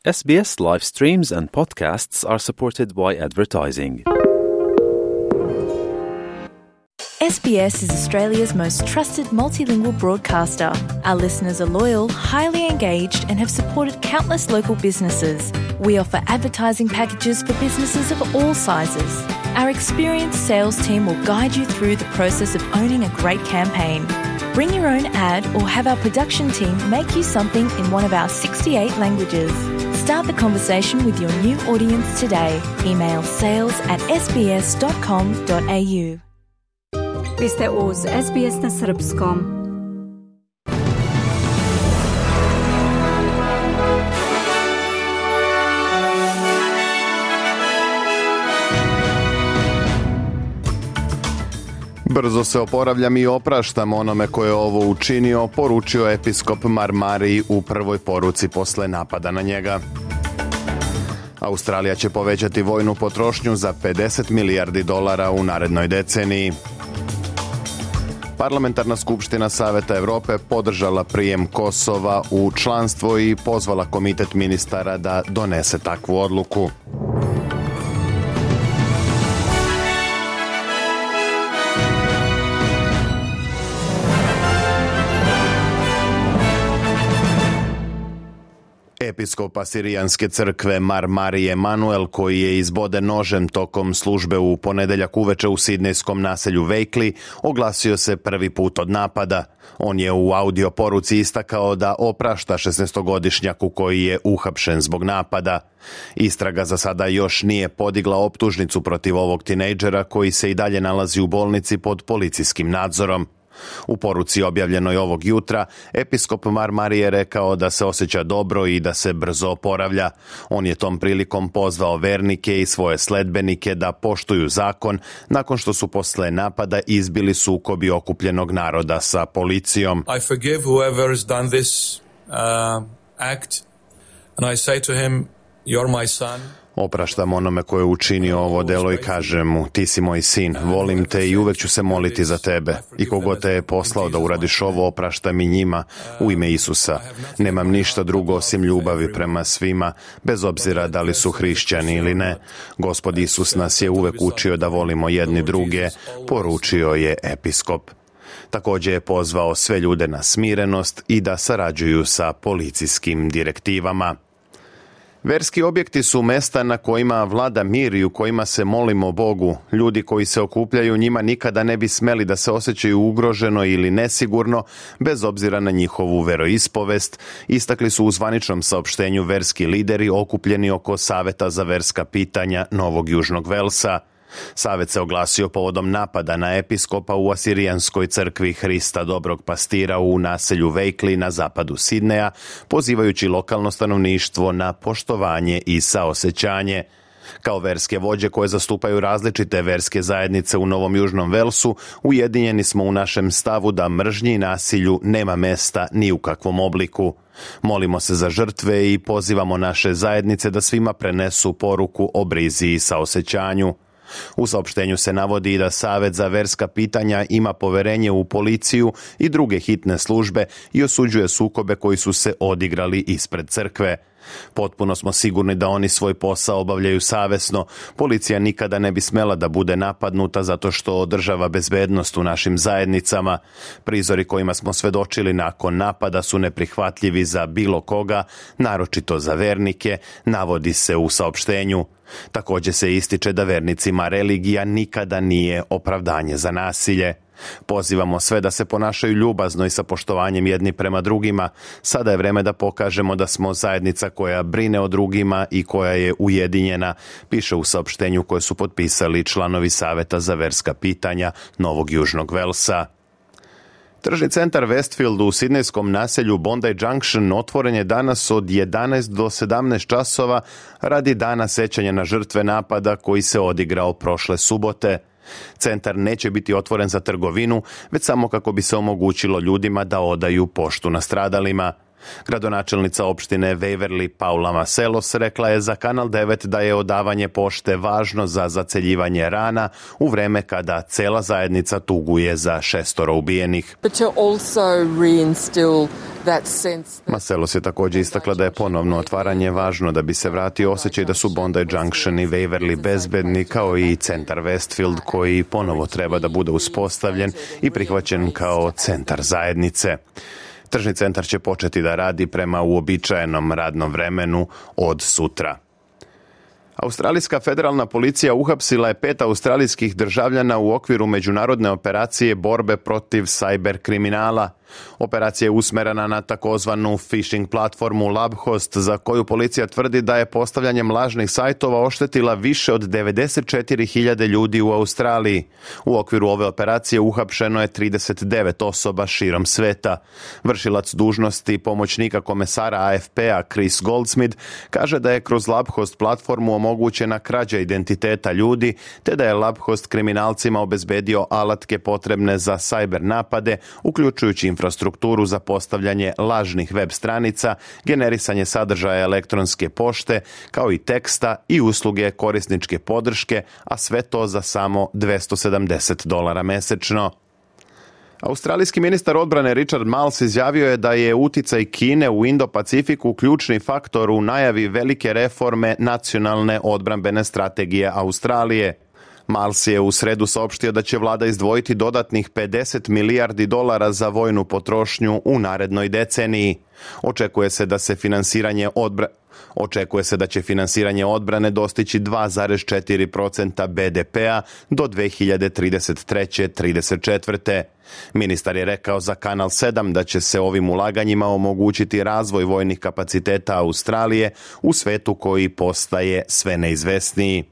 SBS live streams and podcasts are supported by advertising. SBS is Australia's most trusted multilingual broadcaster. Our listeners are loyal, highly engaged, and have supported countless local businesses. We offer advertising packages for businesses of all sizes. Our experienced sales team will guide you through the process of owning a great campaign. Bring your own ad or have our production team make you something in one of our 68 languages. Start the conversation with your new audience today. Email sales@sbs.com.au. Vi ste uz SBS na srpskom. Brzo se oporavljam i opraštam onome ko je ovo učinio, poručio episkop Marmari u prvoj poruci posle napada na njega. Australija će povećati vojnu potrošnju za $50 milijardi u narednoj deceniji. Parlamentarna skupština Saveta Evrope podržala prijem Kosova u članstvo i pozvala komitet ministara da donese takvu odluku. Episkop Asirijanske crkve Marmari Emanuel, koji je izboden nožem tokom službe u ponedeljak uveče u sidnejskom naselju Vejkli, oglasio se prvi put od napada. On je u audio poruci istakao da oprašta 16-godišnjaku koji je uhapšen zbog napada. Istraga za sada još nije podigla optužnicu protiv ovog tinejdžera koji se i dalje nalazi u bolnici pod policijskim nadzorom. U poruci objavljenoj ovog jutra, episkop Marmari je rekao da se osjeća dobro i da se brzo oporavlja. On je tom prilikom pozvao vernike i svoje sledbenike da poštuju zakon nakon što su posle napada izbili sukobi okupljenog naroda sa policijom. I forgive whoever has done this act and I say to him, you're my son. Opraštam onome ko je učinio ovo delo i kažem mu, ti si moj sin, volim te i uvek ću se moliti za tebe. I kogo te je poslao da uradiš ovo, opraštam i njima u ime Isusa. Nemam ništa drugo osim ljubavi prema svima, bez obzira da li su hrišćani ili ne. Gospod Isus nas je uvek učio da volimo jedni druge, poručio je episkop. Također je pozvao sve ljude na smirenost i da sarađuju sa policijskim direktivama. Verski objekti su mesta na kojima vlada mir i u kojima se molimo Bogu. Ljudi koji se okupljaju njima nikada ne bi smeli da se osjećaju ugroženo ili nesigurno, bez obzira na njihovu veroispovest, istakli su u zvaničnom saopštenju verski lideri okupljeni oko Saveta za verska pitanja Novog Južnog Velsa. Savet se oglasio povodom napada na episkopa u Asirijanskoj crkvi Hrista Dobrog Pastira u naselju Vejkli na zapadu Sidneja, pozivajući lokalno stanovništvo na poštovanje i saosećanje. Kao verske vođe koje zastupaju različite verske zajednice u Novom Južnom Velsu, ujedinjeni smo u našem stavu da mržnji i nasilju nema mesta ni u kakvom obliku. Molimo se za žrtve i pozivamo naše zajednice da svima prenesu poruku o brizi i saosećanju. U saopštenju se navodi i da Savet za verska pitanja ima poverenje u policiju i druge hitne službe i osuđuje sukobe koji su se odigrali ispred crkve. Potpuno smo sigurni da oni svoj posao obavljaju savesno. Policija nikada ne bi smela da bude napadnuta zato što održava bezbednost u našim zajednicama. Prizori kojima smo svedočili nakon napada su neprihvatljivi za bilo koga, naročito za vernike, navodi se u saopštenju. Također se ističe da vernicima religija nikada nije opravdanje za nasilje. Pozivamo sve da se ponašaju ljubazno i sa poštovanjem jedni prema drugima. Sada je vreme da pokažemo da smo zajednica koja brine o drugima i koja je ujedinjena, piše u saopštenju koje su potpisali članovi Saveta za verska pitanja Novog Južnog Velsa. Tržni centar Westfield u sidnejskom naselju Bondi Junction otvoren je danas od 11 do 17 časova radi dana sećanja na žrtve napada koji se odigrao prošle subote. Centar neće biti otvoren za trgovinu, već samo kako bi se omogućilo ljudima da odaju poštu nastradalima. Gradonačelnica opštine Waverly Paula Maselos rekla je za Kanal 9 da je odavanje pošte važno za zaceljivanje rana u vreme kada cela zajednica tuguje za 6 ubijenih. Maselos je također istakla da je ponovno otvaranje važno da bi se vratio osjećaj da su Bondi Junction i Waverly bezbedni, kao i centar Westfield koji ponovo treba da bude uspostavljen i prihvaćen kao centar zajednice. Tržni centar će početi da radi prema uobičajenom radnom vremenu od sutra. Australijska federalna policija uhapsila je 5 australijskih državljana u okviru međunarodne operacije borbe protiv cyber kriminala. Operacija je usmerena na takozvanu phishing platformu LabHost, za koju policija tvrdi da je postavljanjem lažnih sajtova oštetila više od 94.000 ljudi u Australiji. U okviru ove operacije uhapšeno je 39 osoba širom sveta. Vršilac dužnosti pomoćnika komesara AFP-a Chris Goldsmith kaže da je kroz LabHost platformu omogućena krađa identiteta ljudi, te da je LabHost kriminalcima obezbedio alatke potrebne za cyber napade, uključujući infrastrukturu za postavljanje lažnih web stranica, generisanje sadržaja elektronske pošte, kao i teksta i usluge korisničke podrške, a sve to za samo $270 mesečno. Australijski ministar odbrane Richard Marles izjavio je da je uticaj Kine u Indo-Pacifiku ključni faktor u najavi velike reforme nacionalne odbrambene strategije Australije. Marles je u sredu saopštio da će vlada izdvojiti dodatnih $50 milijardi za vojnu potrošnju u narednoj deceniji. Očekuje se da će finansiranje odbrane dostići 2,4% BDP-a do 2033-34. Ministar je rekao za Kanal 7 da će se ovim ulaganjima omogućiti razvoj vojnih kapaciteta Australije u svetu koji postaje sve neizvesniji.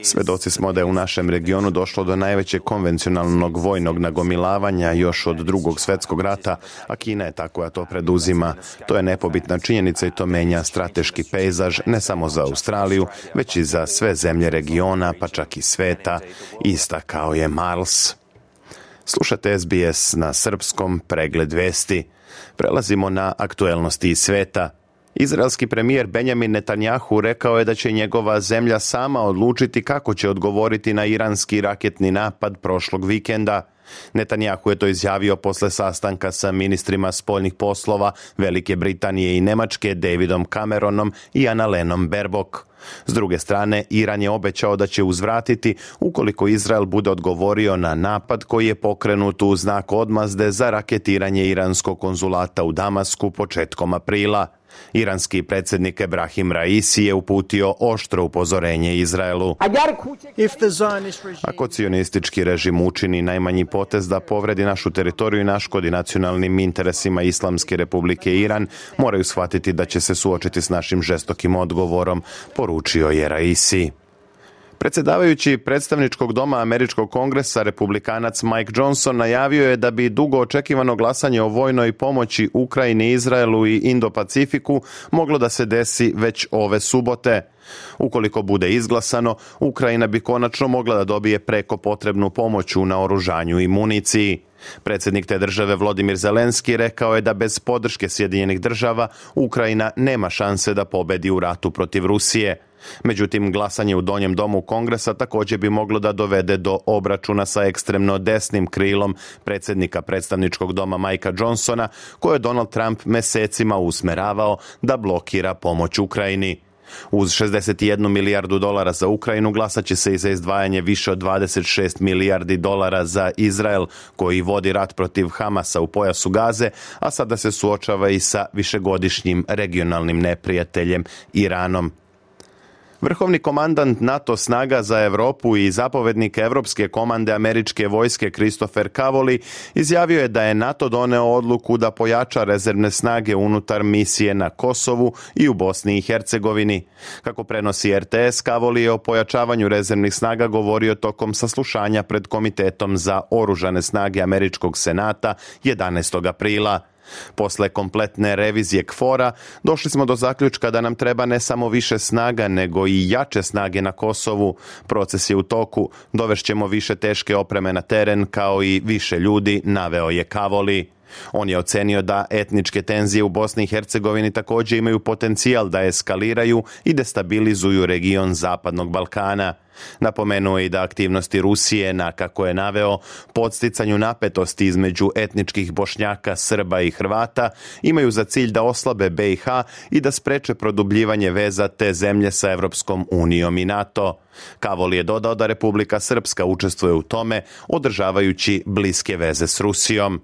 Svedoci smo da je u našem regionu došlo do najvećeg konvencionalnog vojnog nagomilavanja još od Drugog svjetskog rata, a Kina je ta koja to preduzima. To je nepobitna činjenica i to menja strateški pejzaž ne samo za Australiju, već i za sve zemlje regiona, pa čak i sveta, istakao je Marles. Slušate SBS na srpskom, pregled vesti. Prelazimo na aktuelnosti iz sveta. Izraelski premijer Benjamin Netanjahu rekao je da će njegova zemlja sama odlučiti kako će odgovoriti na iranski raketni napad prošlog vikenda. Netanjahu je to izjavio posle sastanka sa ministrima spoljnih poslova Velike Britanije i Nemačke Davidom Cameronom i Annalenom Baerbock. S druge strane, Iran je obećao da će uzvratiti ukoliko Izrael bude odgovorio na napad koji je pokrenut u znak odmazde za raketiranje iranskog konzulata u Damasku početkom aprila. Iranski predsjednik Ebrahim Raisi je uputio oštro upozorenje Izraelu. Ako cionistički režim učini najmanji potez da povredi našu teritoriju i naškodi nacionalnim interesima Islamske republike Iran, moraju shvatiti da će se suočiti s našim žestokim odgovorom, poručio je Raisi. Predsjedavajući predstavničkog doma Američkog kongresa, republikanac Mike Johnson najavio je da bi dugo očekivano glasanje o vojnoj pomoći Ukrajini, Izraelu i Indo-Pacifiku moglo da se desi već ove subote. Ukoliko bude izglasano, Ukrajina bi konačno mogla da dobije preko potrebnu pomoć u naoružanju i municiji. Predsjednik te države Volodymyr Zelenski rekao je da bez podrške Sjedinjenih država Ukrajina nema šanse da pobedi u ratu protiv Rusije. Međutim, glasanje u donjem domu Kongresa također bi moglo da dovede do obračuna sa ekstremno desnim krilom predsjednika predstavničkog doma Mikea Johnsona, koje je Donald Trump mesecima usmeravao da blokira pomoć Ukrajini. Uz $61 milijardu za Ukrajinu glasat će se i za izdvajanje više od $26 milijardi za Izrael, koji vodi rat protiv Hamasa u pojasu Gaze, a sada se suočava i sa višegodišnjim regionalnim neprijateljem Iranom. Vrhovni komandant NATO snaga za Europu i zapovednik Evropske komande američke vojske Christopher Cavoli izjavio je da je NATO doneo odluku da pojača rezervne snage unutar misije na Kosovu i u Bosni i Hercegovini. Kako prenosi RTS, Cavoli je o pojačavanju rezervnih snaga govorio tokom saslušanja pred Komitetom za oružane snage Američkog senata 11. aprila. Posle kompletne revizije KFOR-a došli smo do zaključka da nam treba ne samo više snaga, nego i jače snage na Kosovu. Proces je u toku, dovešćemo više teške opreme na teren kao i više ljudi, naveo je Cavoli. On je ocenio da etničke tenzije u Bosni i Hercegovini također imaju potencijal da eskaliraju i destabilizuju region Zapadnog Balkana. Napomenuo je i da aktivnosti Rusije na, kako je naveo, podsticanju napetosti između etničkih Bošnjaka, Srba i Hrvata imaju za cilj da oslabe BiH i da spreče produbljivanje veza te zemlje sa Evropskom unijom i NATO. Kavol je dodao da Republika Srpska učestvuje u tome, održavajući bliske veze s Rusijom.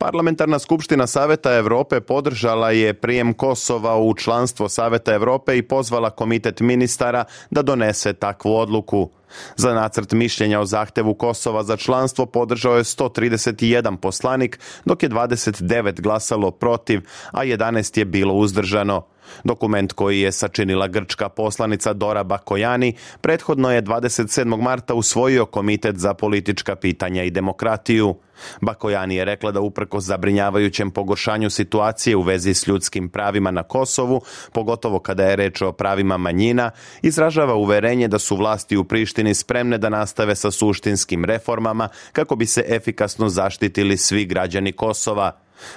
Parlamentarna skupština Saveta Evrope podržala je prijem Kosova u članstvo Saveta Evrope i pozvala komitet ministara da donese takvu odluku. Za nacrt mišljenja o zahtevu Kosova za članstvo podržao je 131 poslanik, dok je 29 glasalo protiv, a 11 je bilo uzdržano. Dokument koji je sačinila grčka poslanica Dora Bakojani prethodno je 27. marta usvojio Komitet za politička pitanja i demokratiju. Bakojani je rekla da uprkos zabrinjavajućem pogoršanju situacije u vezi s ljudskim pravima na Kosovu, pogotovo kada je reč o pravima manjina, izražava uverenje da su vlasti u Prištini spremne da nastave sa suštinskim reformama kako bi se efikasno zaštitili svi građani Kosova.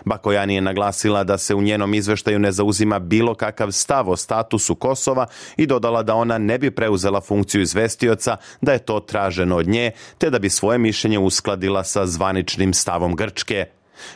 Bakojani je naglasila da se u njenom izveštaju ne zauzima bilo kakav stav o statusu Kosova i dodala da ona ne bi preuzela funkciju izvestioca, da je to traženo od nje, te da bi svoje mišljenje uskladila sa zvaničnim stavom Grčke.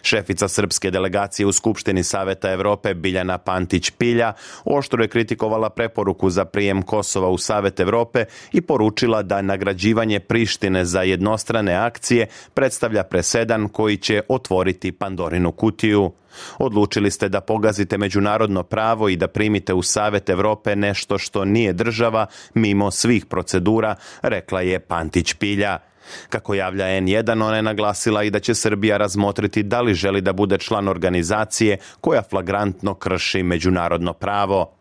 Šefica srpske delegacije u Skupštini Saveta Evrope Biljana Pantić-Pilja oštro je kritikovala preporuku za prijem Kosova u Savet Evrope i poručila da nagrađivanje Prištine za jednostrane akcije predstavlja presedan koji će otvoriti Pandorinu kutiju. Odlučili ste da pogazite međunarodno pravo i da primite u Savet Evrope nešto što nije država mimo svih procedura, rekla je Pantić-Pilja. Kako javlja N1, ona je naglasila i da će Srbija razmotriti da li želi da bude član organizacije koja flagrantno krši međunarodno pravo.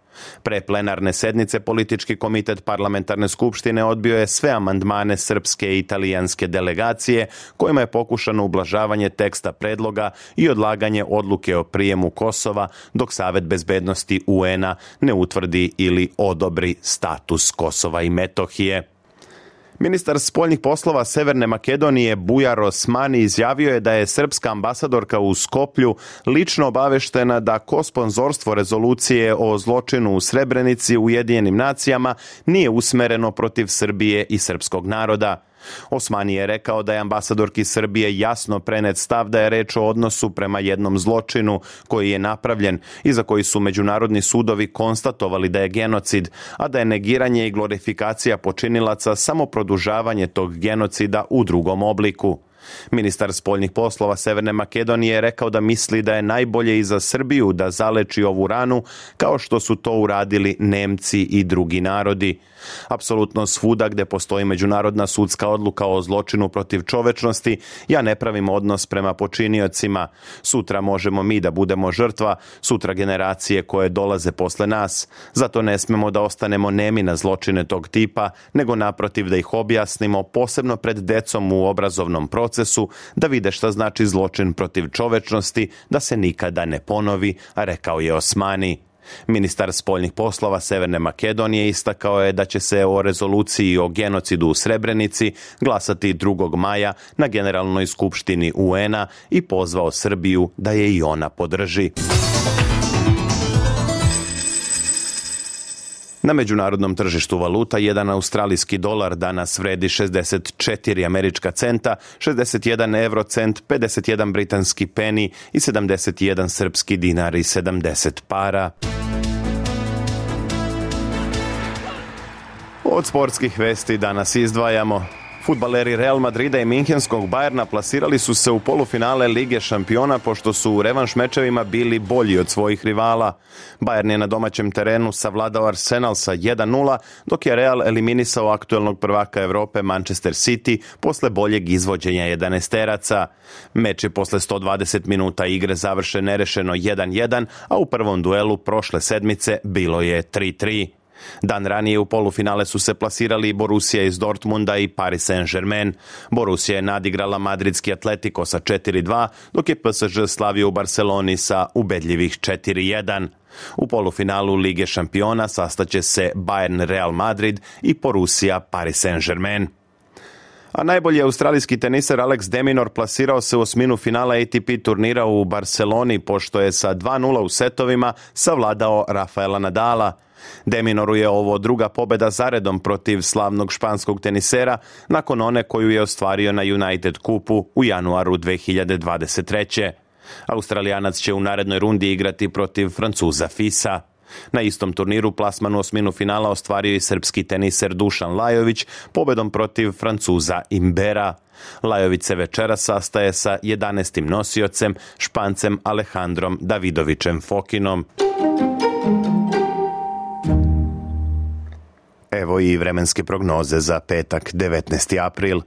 Pre plenarne sednice politički komitet parlamentarne skupštine odbio je sve amandmane srpske i italijanske delegacije kojima je pokušano ublažavanje teksta predloga i odlaganje odluke o prijemu Kosova dok Savet bezbednosti UN-a ne utvrdi ili odobri status Kosova i Metohije. Ministar spoljnih poslova Severne Makedonije Bujar Osmani izjavio je da je srpska ambasadorka u Skoplju lično obaveštena da kosponzorstvo rezolucije o zločinu u Srebrenici u Ujedinjenim nacijama nije usmereno protiv Srbije i srpskog naroda. Osmani je rekao da je ambasadorki Srbije jasno prenet stav da je reč o odnosu prema jednom zločinu koji je napravljen i za koji su međunarodni sudovi konstatovali da je genocid, a da je negiranje i glorifikacija počinilaca samo produžavanje tog genocida u drugom obliku. Ministar spoljnih poslova Severne Makedonije je rekao da misli da je najbolje i za Srbiju da zaleči ovu ranu kao što su to uradili Nemci i drugi narodi. Apsolutno svuda gde postoji međunarodna sudska odluka o zločinu protiv čovečnosti, ja ne pravim odnos prema počiniocima. Sutra možemo mi da budemo žrtva, sutra generacije koje dolaze posle nas. Zato ne smemo da ostanemo nemi na zločine tog tipa, nego naprotiv da ih objasnimo, posebno pred decom u obrazovnom procesu, da vide šta znači zločin protiv čovečnosti, da se nikada ne ponovi, rekao je Osmani. Ministar spoljnih poslova Severne Makedonije istakao je da će se o rezoluciji o genocidu u Srebrenici glasati 2. maja na Generalnoj skupštini UN-a i pozvao Srbiju da je i ona podrži. Na međunarodnom tržištu valuta jedan australijski dolar danas vredi 64 američka centa, 61 eurocent, 51 britanski peni i 71 srpski dinar i 70 para. Od sportskih vesti danas izdvajamo. Fudbaleri Real Madrida i Minhenskog Bayerna plasirali su se u polufinale Lige šampiona pošto su u revanš mečevima bili bolji od svojih rivala. Bayern je na domaćem terenu savladao Arsenal sa 1-0, dok je Real eliminisao aktuelnog prvaka Evrope Manchester City posle boljeg izvođenja 11-teraca. Meč je posle 120 minuta igre završen nerešeno 1-1, a u prvom duelu prošle sedmice bilo je 3-3. Dan ranije u polufinale su se plasirali Borussia iz Dortmunda i Paris Saint-Germain. Borussia je nadigrala madridski Atletico sa 4-2, dok je PSG slavio u Barceloni sa ubedljivih 4-1. U polufinalu Lige šampiona sastaće se Bayern Real Madrid i Borussia Paris Saint-Germain. A najbolji australijski teniser Alex de Minaur plasirao se u osminu finala ATP turnira u Barceloni, pošto je sa 2:0 u setovima savladao Rafaela Nadala. De Minauru je ovo druga pobjeda zaredom protiv slavnog španskog tenisera, nakon one koju je ostvario na United Cupu u januaru 2023. Australijanac će u narednoj rundi igrati protiv Francuza Fisa. Na istom turniru plasman u osminu finala ostvario i srpski teniser Dušan Lajović pobjedom protiv Francuza Imbera. Lajović se večera sastaje sa 11. nosiocem, Špancem Alejandrom Davidovićem Fokinom. Evo i vremenske prognoze za petak 19. april.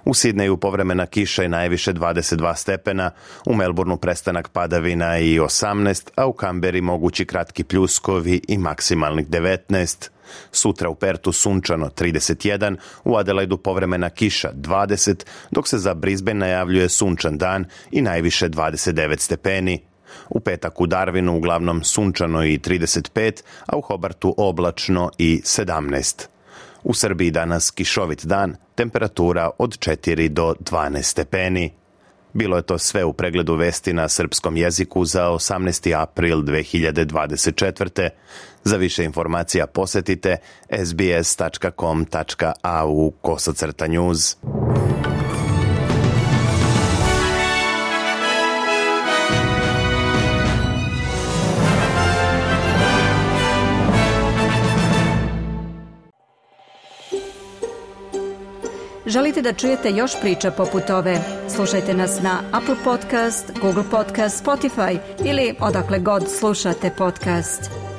U Sidneju povremena kiša i najviše 22 stepena, u Melbourneu prestanak padavina i 18, a u Kamberi mogući kratki pljuskovi i maksimalnih 19. Sutra u Pertu sunčano 31, u Adelaidu povremena kiša 20, dok se za Brisbane najavljuje sunčan dan i najviše 29 stepeni. U petak u Darwinu uglavnom sunčano i 35, a u Hobartu oblačno i 17. U Srbiji danas kišovit dan, temperatura od 4 do 12 stepeni. Bilo je to sve u pregledu vesti na srpskom jeziku za 18. april 2024. Za više informacija posjetite sbs.com.au/news. Želite da čujete još priča poput ove? Slušajte nas na Apple Podcast, Google Podcast, Spotify ili odakle god slušate podcast.